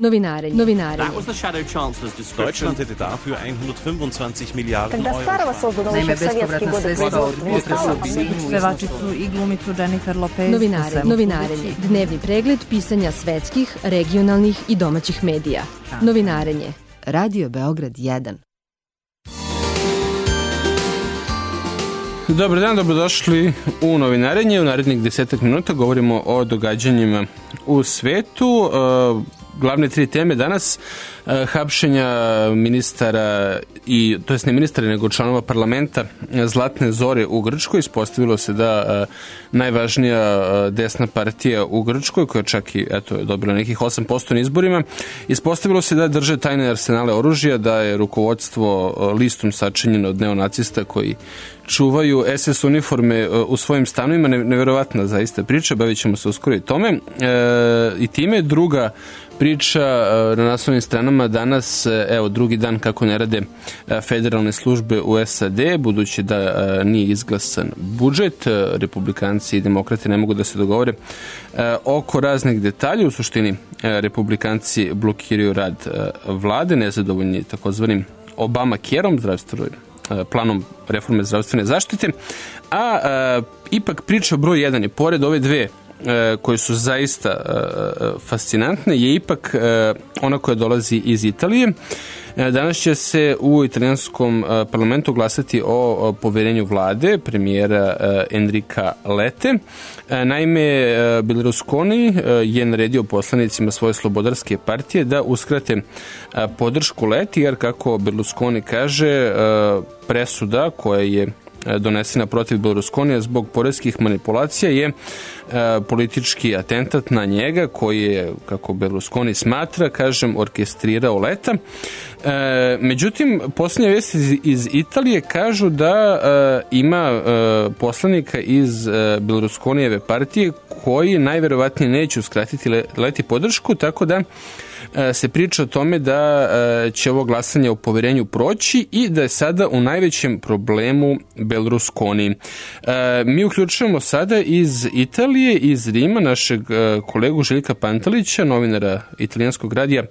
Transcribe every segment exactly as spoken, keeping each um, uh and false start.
Novinarenje. Novinarenje. Deutschland hätte dafür hundertfünfundzwanzig Miliarden Euro. Naime, bespovratna sredstva od potresa pevačicu i glumicu Jennifer Lopez. Novinare, novinarenje. Dnevni pregled pisanja svetskih, regionalnih i domaćih medija. Novinarenje. Radio Beograd jedan. Dobar dan, dobrodošli u Novinarenje. U narednih desetak minuta govorimo o događanjima u svetu. Glavne tri teme danas: hapšenja ministara i, to jest ne ministara nego članova parlamenta Zlatne Zore u Grčkoj. Ispostavilo se da najvažnija desna partija u Grčkoj, koja čak i eto, je dobila nekih osam posto na izborima, ispostavilo se da drže tajne arsenale oružja, da je rukovodstvo listom sačinjeno od neonacista koji čuvaju es es uniforme u svojim stanovima. Neverovatna zaista priča, bavit ćemo se uskoro i tome. E, I time druga priča na naslovnim stranama danas, evo drugi dan kako ne rade federalne službe u es a de, budući da nije izglasan budžet, republikanci i demokrate ne mogu da se dogovore oko raznih detalja. U suštini republikanci blokiraju rad vlade, nezadovoljni takozvanim Obama Care-om, zdravstvenom planom reforme zdravstvene zaštite, a, a ipak priča broj jedan je, pored ove dve koje su zaista fascinantne, je ipak ona koja dolazi iz Italije. Danas će se u italijanskom parlamentu glasati o poverenju vlade premijera Enrika Lete. Naime, Berlusconi je naredio poslanicima svoje slobodarske partije da uskrate podršku Leti, jer kako Berlusconi kaže, presuda koja je donesena protiv Berlusconija zbog poreskih manipulacija je e, politički atentat na njega, koji je, kako Berlusconi smatra, kažem, orkestrirao Leta. E, međutim, posljednje vesti iz, iz Italije kažu da e, ima e, poslanika iz e, Berlusconijeve partije koji najverovatnije neće uskratiti Leti podršku, tako da se priča o tome da će ovo glasanje o poverenju proći i da je sada u najvećem problemu Berlusconi. Mi uključujemo sada iz Italije, iz Rima, našeg kolegu Željka Pantelića, novinara italijanskog radija,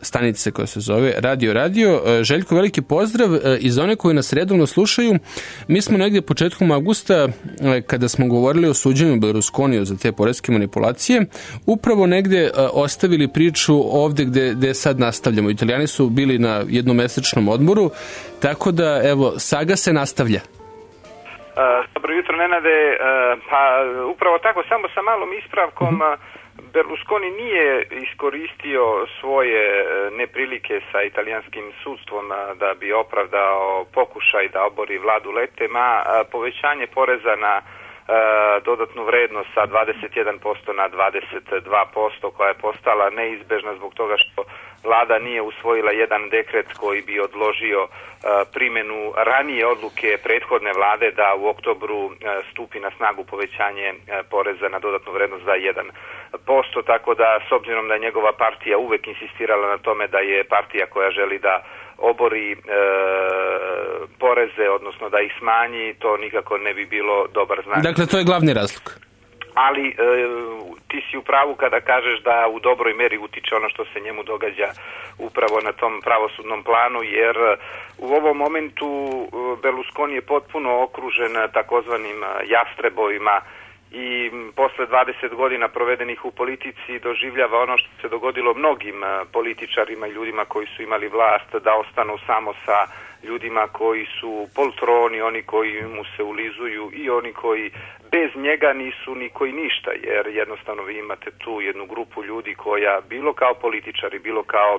stanice koja se zove Radio Radio. Željko, veliki pozdrav. I za one koji nas redovno slušaju, mi smo negdje početkom avgusta, kada smo govorili o suđenju Berlusconiju za te poreske manipulacije, upravo negdje ostavili priču ovde gde, gde sad nastavljamo. Italijani su bili na jednomesečnom odmoru, tako da, evo, saga se nastavlja. Uh, dobro jutro, Nenade. Uh, pa upravo tako, samo sa malom ispravkom, uh-huh. Berlusconi nije iskoristio svoje neprilike sa italijanskim sudstvom da bi opravdao pokušaj da obori vladu Lete, ma povećanje poreza na dodatnu vrednost sa dvadeset jedan posto na dvadeset dva posto, koja je postala neizbežna zbog toga što vlada nije usvojila jedan dekret koji bi odložio primjenu ranije odluke prethodne vlade da u oktobru stupi na snagu povećanje poreza na dodatnu vrednost za jedan posto, tako da s obzirom da je njegova partija uvek insistirala na tome da je partija koja želi da obori e, poreze, odnosno da ih smanji, to nikako ne bi bilo dobar znak. Dakle, to je glavni razlog. Ali e, ti si u pravu kada kažeš da u dobroj meri utiče ono što se njemu događa upravo na tom pravosudnom planu, jer u ovom momentu Berlusconi je potpuno okružen takozvanim jastrebovima i posle dvadeset godina provedenih u politici doživljava ono što se dogodilo mnogim političarima i ljudima koji su imali vlast, da ostanu samo sa ljudima koji su poltroni, oni koji mu se ulizuju i oni koji bez njega nisu niko i ništa, jer jednostavno vi imate tu jednu grupu ljudi koja bilo kao političari, bilo kao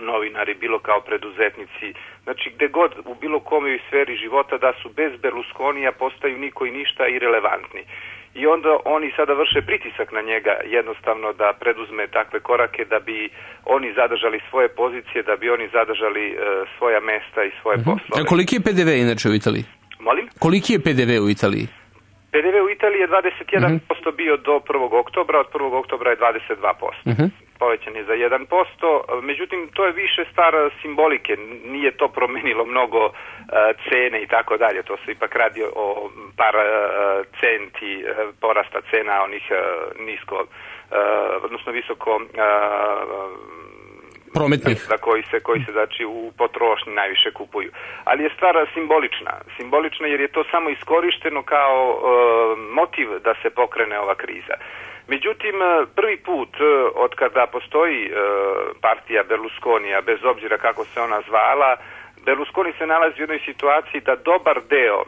novinari, bilo kao preduzetnici, znači gde god u bilo kome sferi života da su bez Berlusconija postaju niko i ništa irelevantni. I onda oni sada vrše pritisak na njega jednostavno da preduzme takve korake da bi oni zadržali svoje pozicije, da bi oni zadržali uh, svoja mesta i svoje uh-huh. poslove. A koliki je pe de ve inače u Italiji? Molim? Koliki je pe de ve u Italiji? pe de ve u Italiji je dvadeset jedan posto uh-huh. bio do prvog oktobra, od prvog oktobra je dvadeset dva posto. Uh-huh. Povećan je za jedan posto, međutim to je više stvar simbolike, nije to promenilo mnogo uh, cene i tako dalje, to se ipak radi o par uh, centi uh, porasta cena onih uh, nisko, uh, odnosno visoko uh, prometnih za koji se koji se znači u potrošnji najviše kupuju. Ali je stvar simbolična. Simbolična jer je to samo iskorišteno kao e, motiv da se pokrene ova kriza. Međutim, prvi put od kada postoji e, partija Berlusconija, bez obzira kako se ona zvala, Berlusconi se nalazi u jednoj situaciji da dobar deo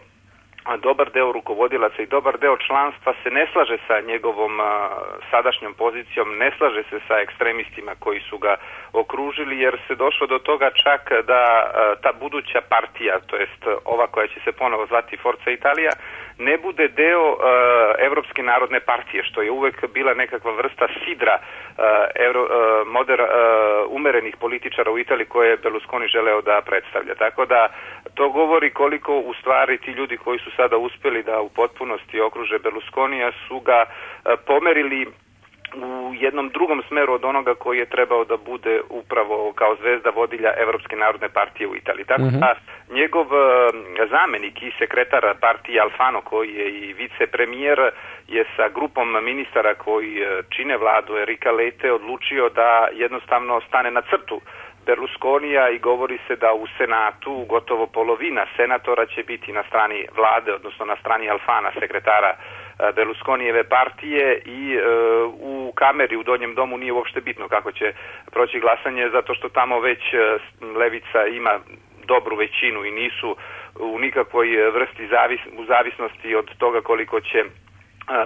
a dobar deo rukovodilaca i dobar deo članstva se ne slaže sa njegovom a, sadašnjom pozicijom, ne slaže se sa ekstremistima koji su ga okružili, jer se došlo do toga čak da a, ta buduća partija, to jest ova koja će se ponovo zvati Forza Italia, ne bude deo uh, Evropske narodne partije, što je uvek bila nekakva vrsta sidra uh, euro, uh, moder, uh, umerenih političara u Italiji koje je Berlusconi želeo da predstavlja. Tako da to govori koliko u stvari ti ljudi koji su sada uspeli da u potpunosti okruže Berlusconija su ga uh, pomerili u jednom drugom smeru od onoga koji je trebao da bude upravo kao zvezda vodilja Evropske narodne partije u Italiji. Tako da njegov zamenik i sekretar partije Alfano, koji je i vicepremijer, je sa grupom ministara koji čine vladu Enrica Lette odlučio da jednostavno stane na crtu Berlusconija i govori se da u Senatu gotovo polovina senatora će biti na strani vlade, odnosno na strani Alfana, sekretara Berlusconijeve partije, i e, u kameri u Donjem domu nije uopšte bitno kako će proći glasanje, zato što tamo već levica ima dobru većinu i nisu u nikakvoj vrsti zavis, u zavisnosti od toga koliko će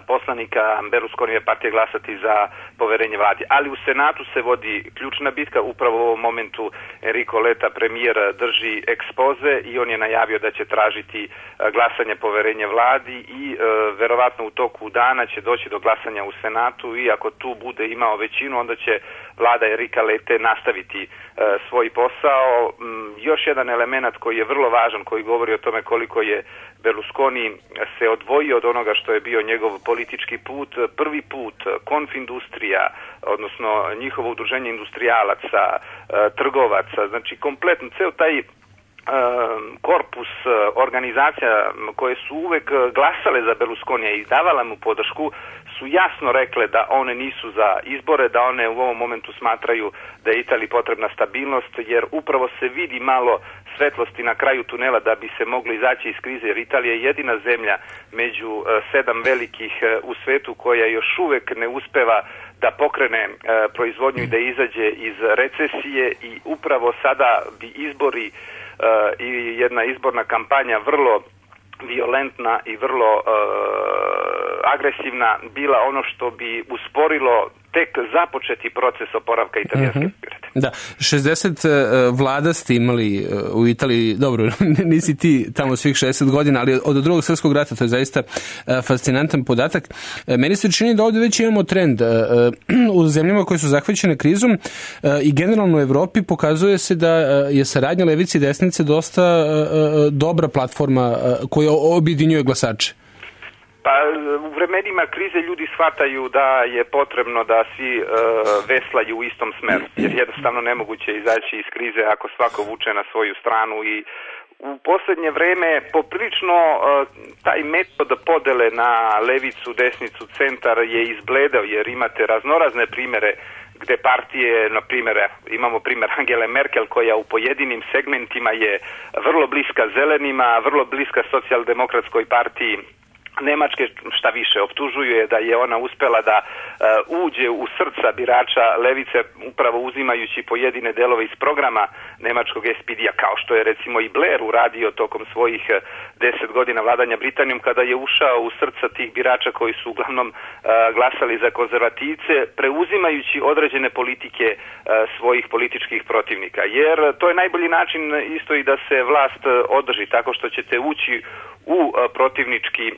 poslanika Berlusconijeve partije glasati za poverenje vladi. Ali u Senatu se vodi ključna bitka. Upravo u ovom momentu Enrico Letta, premijer, drži ekspoze i on je najavio da će tražiti glasanje poverenje vladi i e, verovatno u toku dana će doći do glasanja u Senatu i ako tu bude imao većinu, onda će vlada Enrica Lette nastaviti e, svoj posao. M, još jedan element koji je vrlo važan, koji govori o tome koliko je Berlusconi se odvojio od onoga što je bio njegov politički put. Prvi put Konfindustrija, odnosno njihovo udruženje industrijalaca, trgovaca, znači kompletno ceo taj korpus organizacija koje su uvek glasale za Berlusconija i davala mu podršku, su jasno rekle da one nisu za izbore, da one u ovom momentu smatraju da je Italiji potrebna stabilnost, jer upravo se vidi malo svetlosti na kraju tunela da bi se moglo izaći iz krize, jer Italija je jedina zemlja među sedam velikih u svetu koja još uvek ne uspeva da pokrene proizvodnju i da izađe iz recesije, i upravo sada bi izbori i jedna izborna kampanja vrlo violentna i vrlo uh, agresivna bila ono što bi usporilo tek započeti proces oporavka italijanske mm-hmm. privrede. Da, šezdeset uh, vlada ste imali uh, u Italiji, dobro, nisi ti tamo svih šezdeset godina, ali od drugog svjetskog rata, to je zaista uh, fascinantan podatak. Uh, meni se čini da ovdje već imamo trend. Uh, uh, u zemljama koje su zahvaćene krizom uh, i generalno u Evropi pokazuje se da uh, je saradnja levice i desnice dosta uh, uh, dobra platforma uh, koja objedinjuje glasače. Pa u vremenima krize ljudi shvataju da je potrebno da svi e, veslaju u istom smeru, jer jednostavno nemoguće izaći iz krize ako svako vuče na svoju stranu, i u posljednje vreme poprilično e, taj metod podele na levicu, desnicu, centar je izbledao, jer imate raznorazne primjere gde partije, na primjer, imamo primjer Angele Merkel koja u pojedinim segmentima je vrlo bliska zelenima, vrlo bliska socijaldemokratskoj partiji Nemačke, šta više, optužuju je da je ona uspela da uh, uđe u srca birača levice upravo uzimajući pojedine delove iz programa nemačkog es pe de-a, kao što je recimo i Blair uradio tokom svojih deset godina vladanja Britanijom, kada je ušao u srca tih birača koji su uglavnom uh, glasali za konzervativce, preuzimajući određene politike uh, svojih političkih protivnika. Jer to je najbolji način isto i da se vlast održi, tako što ćete ući u uh, protivnički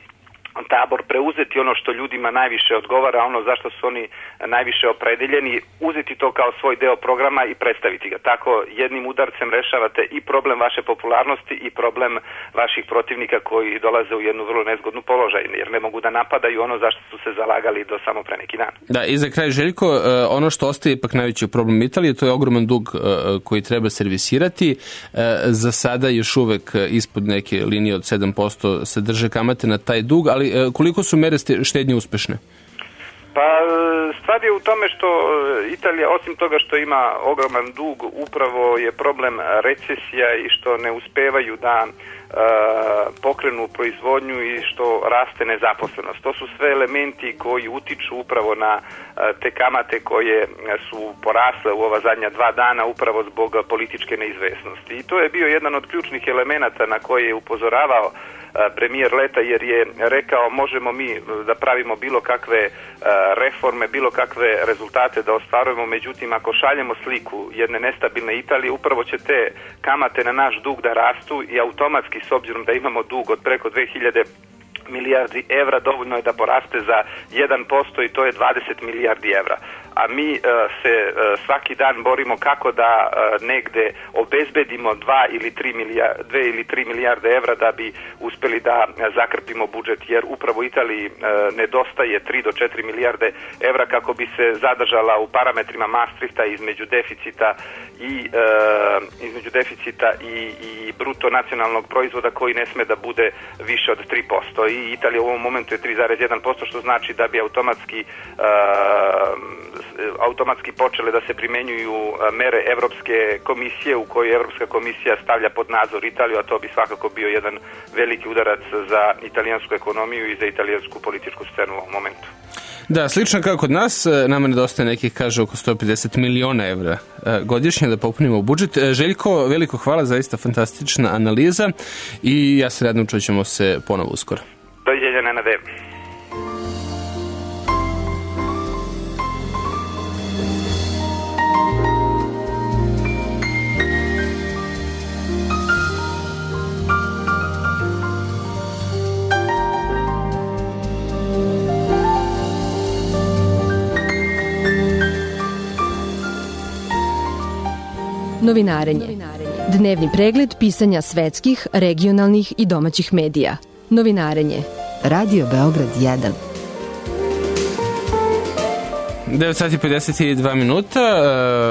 tabor, preuzeti ono što ljudima najviše odgovara, ono zašto su oni najviše opredeljeni, uzeti to kao svoj deo programa i predstaviti ga. Tako jednim udarcem rešavate i problem vaše popularnosti i problem vaših protivnika koji dolaze u jednu vrlo nezgodnu položaj, jer ne mogu da napadaju ono zašto su se zalagali do samo pre neki dan. Da, i za kraj, Željko, ono što ostaje ipak najveći problem Italije, to je ogroman dug koji treba servisirati. Za sada još uvek ispod neke linije od sedam posto se drže kamate na taj dug, ali koliko su mere štednje uspešne? Pa stvar je u tome što Italija, osim toga što ima ogroman dug, upravo je problem recesija i što ne uspevaju da e, pokrenu proizvodnju i što raste nezaposlenost. To su sve elementi koji utiču upravo na e, te kamate koje su porasle u ova zadnja dva dana upravo zbog političke neizvesnosti. I to je bio jedan od ključnih elemenata na koje je upozoravao premijer Leta, jer je rekao možemo mi da pravimo bilo kakve reforme, bilo kakve rezultate da ostvarujemo, međutim ako šaljemo sliku jedne nestabilne Italije, upravo će te kamate na naš dug da rastu i automatski, s obzirom da imamo dug od preko dve hiljade milijardi evra, dovoljno je da poraste za jedan posto i to je dvadeset milijardi evra. A mi uh, se uh, svaki dan borimo kako da uh, negde obezbedimo dva ili tri milijarde, dve ili tri milijarde evra da bi uspeli da uh, zakrpimo budžet, jer upravo Italiji uh, nedostaje tri do četiri milijarde evra kako bi se zadržala u parametrima Maastrichta između deficita i uh, između deficita i, i bruto nacionalnog proizvoda koji ne sme da bude više od tri posto. I Italija u ovom momentu je tri zarez jedan posto, što znači da bi automatski uh, automatski počele da se primenjuju mere Evropske komisije u kojoj Evropska komisija stavlja pod nadzor Italiju, a to bi svakako bio jedan veliki udarac za italijansku ekonomiju i za italijansku političku scenu u ovom momentu. Da, slično kao kod nas, nama nedostaje nekih, kaže, oko sto pedeset miliona evra godišnje da popunimo budžet. Željko, veliko hvala, zaista fantastična analiza i ja se radno čućemo se ponovo uskoro. Doviđenja, Nenade. Novinarenje. Dnevni pregled pisanja svetskih, regionalnih i domaćih medija. Novinarenje. Radio Beograd jedan. devet sati pedeset dva minuta,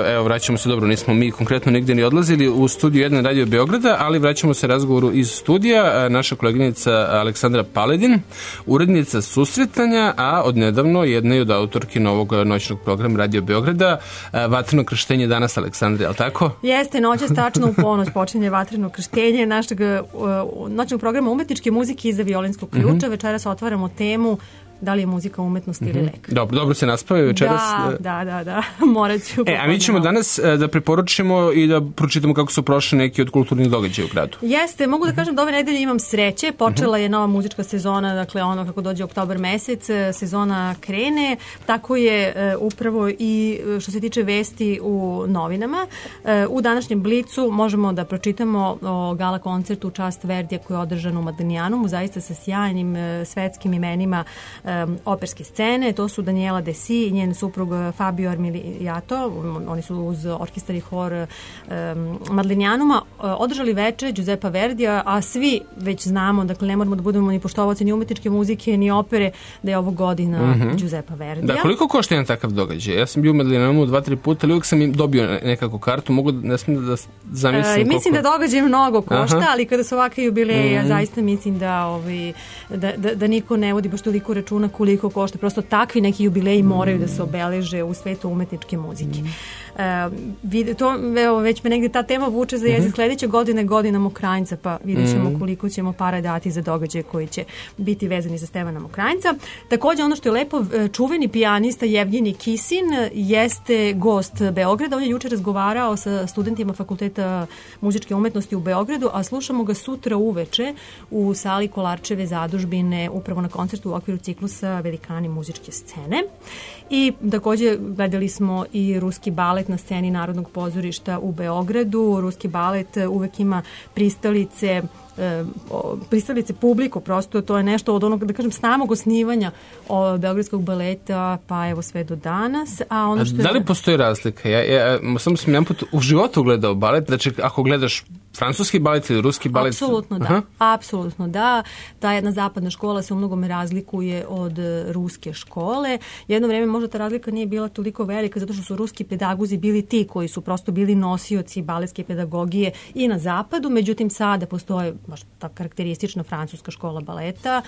evo vraćamo se, dobro, nismo mi konkretno nigde ni odlazili u studiju jedan Radio Beograda, ali vraćamo se razgovoru iz studija. Naša koleginica Aleksandra Paledin, urednica Susretanja, a odnedavno jedna i od autorki novog noćnog programa Radio Beograda, Vatreno krštenje danas, Aleksandra, je li tako? Jeste, noćas tačno u ponoć počinje Vatreno krštenje našeg noćnog programa umetničke muzike iza violinskog ključa. Mm-hmm. Večeras otvaramo temu da li je muzika umetnost ili lek. Dobro, dobro se naspavaju večeras. Da, da, da, da. Morat ću. E, a mi ćemo danas da preporučimo i da pročitamo kako su prošli neki od kulturnih događaja u gradu. Jeste, mogu da kažem da ove nedelje imam sreće. Počela je nova muzička sezona, dakle ono kako dođe oktobar mesec, sezona krene. Tako je upravo i što se tiče vesti u novinama. U današnjem Blicu možemo da pročitamo o gala koncertu u čast Verdija koji je održan u Modiglianumu, zaista sa sjajnim svetskim imenima Um, operske scene. To su Daniela Desi i njen suprug Fabio Armiliato. Oni su uz orkestar i hor um, Modiglianuma održali veče Giuseppa Verdija, a svi već znamo, dakle ne moramo da budemo ni poštovaoci ni umetničke muzike ni opere, da je ovo godina mm-hmm. Giuseppa Verdija. Da, koliko košta jedan takav događaj? Ja sam bio u Modiglianumu dva, tri puta, ali uvijek sam im dobio nekakvu kartu, mogu da, ne smijem da zamislim. E, mislim koliko... da događaj mnogo košta, Aha. ali kada su ovakve jubileje, mm-hmm. ja zaista mislim da, ovi, da, da, da niko ne vodi baš toliko računa koliko košta. Prosto takvi neki jubileji moraju da se obeleže u svetu umetničke muzike. Uh, to, evo, već me negdje ta tema vuče za jezik. Sljedeće godine godina Mokranjca, pa vidjet ćemo koliko ćemo para dati za događaje koji će biti vezani za Stevana Mokranjca. Također ono što je lepo, čuveni pijanista Jevgenij Kisin jeste gost Beograda. On je juče razgovarao sa studentima Fakulteta muzičke umetnosti u Beogradu, a slušamo ga sutra uveče u sali Kolarčeve zadužbine upravo na koncertu u okviru ciklusa Velikani muzičke scene. I također gledali smo i ruski balet na sceni Narodnog pozorišta u Beogradu. Ruski balet uvek ima pristalice pristalice publiku, prosto to je nešto od onog, da kažem, samog osnivanja beogradskog baleta, pa evo sve do danas. A ono što a da li postoji razlika? Ja, ja samo sam jedan put u životu gledao balet, znači ako gledaš francuski balet ili ruski balet? Apsolutno da. Aha. Apsolutno da. Ta jedna zapadna škola se u mnogome razlikuje od ruske škole. Jedno vrijeme možda ta razlika nije bila toliko velika zato što su ruski pedagozi bili ti koji su prosto bili nosioci baletske pedagogije i na zapadu, međutim sada postoje baš ta karakteristična francuska škola baleta.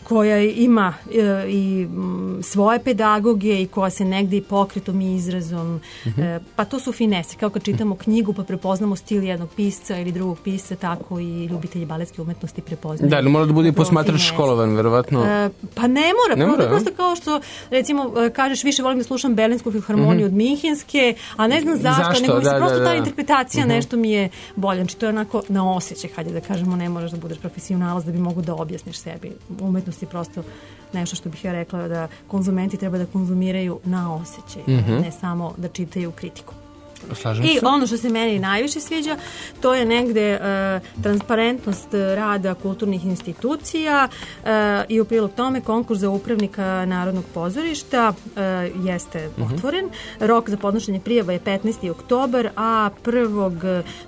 koja ima e, i m, svoje pedagoge i koja se negde i pokretom i izrazom, uh-huh. e, pa to su finese, kao kad čitamo knjigu pa prepoznamo stil jednog pisca ili drugog pisca, tako i ljubitelji baletske umetnosti prepoznaju. Da, ali mora da bude i posmatrač školovan, verovatno. E, pa ne mora, ne mora prosto kao što, recimo, kažeš više volim da slušam Berlinsku filharmoniju uh-huh. od Minhenske, a ne znam zašto, zašto? nego mi se da, prosto da, da. ta interpretacija uh-huh. nešto mi je bolja. Znači, to je onako na osjećaj, hajde da kažemo, ne moraš da budeš profesionalac da bi mogu da objasniš sebi. Umetnost je prosto nešto što bih ja rekla da konzumenti treba da konzumiraju na osjećaj, mm-hmm. ne samo da čitaju kritiku. Slažem I se. ono što se meni najviše sviđa, to je negde uh, transparentnost rada kulturnih institucija uh, i u prilog tome konkurs za upravnika Narodnog pozorišta uh, jeste uh-huh. otvoren. Rok za podnošenje prijava je petnaesti oktobar, a prvog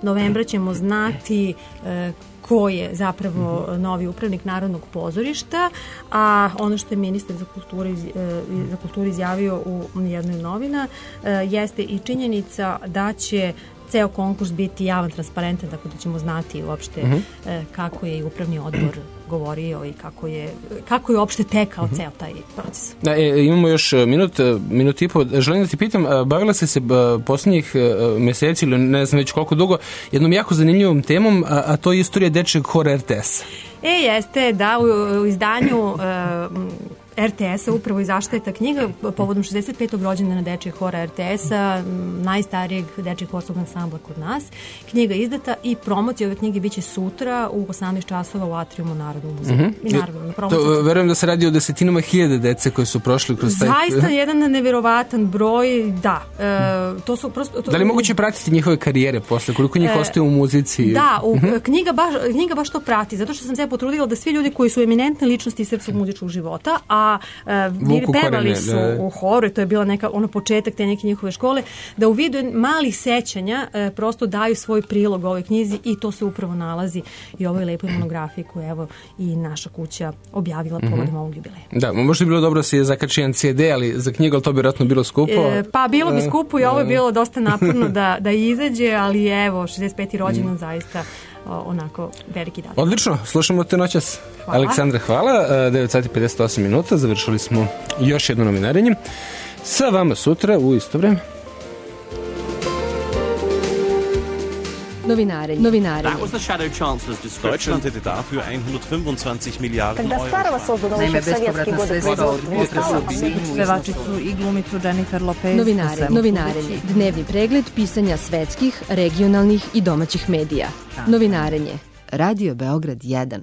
novembra ćemo znati uh, ko je zapravo novi upravnik Narodnog pozorišta, a ono što je ministar za kulturu, iz, za kulturu izjavio u jednoj novina jeste i činjenica da će ceo konkurs biti javan, transparentan, tako da ćemo znati uopšte uh-huh. kako je i upravni odbor govorio i kako je, kako je uopšte tekao uh-huh. ceo taj proces. Da, e, imamo još minut, minut i po. Želim da ti pitam, bavila si se posljednjih meseci ili ne znam već koliko dugo jednom jako zanimljivom temom, a, a to je istorija dečeg hora R T S. E, jeste, da, u, u izdanju uh, R T S-a upravo izašla je ta knjiga povodom šezdeset petog rođendana dečijeg hora R T S-a, najstarijeg dečijeg horskog ansambla kod nas. Knjiga je izdata i promocija ove knjige biće sutra u osamnaest časova u atriumu Narodnog muzeja. Mm-hmm. I naravno, to, verujem da se radi o desetinama hiljade dece koji su prošli kroz taj... Zaista jedan neverovatan broj, da. E, to su prosto, to, da li je moguće pratiti njihove karijere posle? Koliko njih e, ostaje u muzici? Da, u, mm-hmm. knjiga, baš, knjiga baš to prati, zato što sam se potrudila da svi ljudi koji su eminentne ličnosti srpskog muzičkog života, a a uh, pevali su da. u horu, to je bila neka ono početak te neke njihove škole, da u vidu malih sećanja uh, prosto daju svoj prilog ovoj knjizi i to se upravo nalazi i ovoj lepoj monografiji koju evo i naša kuća objavila povodom mm-hmm. ovog jubileja. Da, možda bi bilo dobro da se zakači jedan C D, ali za knjigu, ali to bi vjerojatno bilo skupo. E, pa bilo bi skupo i ovo je bilo dosta naporno da, da izađe, ali evo, šezdeset peti rođendan mm. zaista onako veliki dan. Odlično, slušamo te noćas. Hvala. Aleksandra, hvala. devet sati pedeset osam minuta, završili smo još jedno novinarenje. Sa vama sutra u isto vreme. Novinarenje. Novinarenje. That was the Shadow Chancellor's description. Deutschland hätte dafür hundertfünfundzwanzig Milliarden Когда Старого создано еще в советские годы производства. Pevačicu i glumicu Jennifer Lopez. Novinarenje. Novinarenje. Dnevni pregled pisanja svetskih, regionalnih i domaćih medija. Novinarenje. Radio Beograd jedan.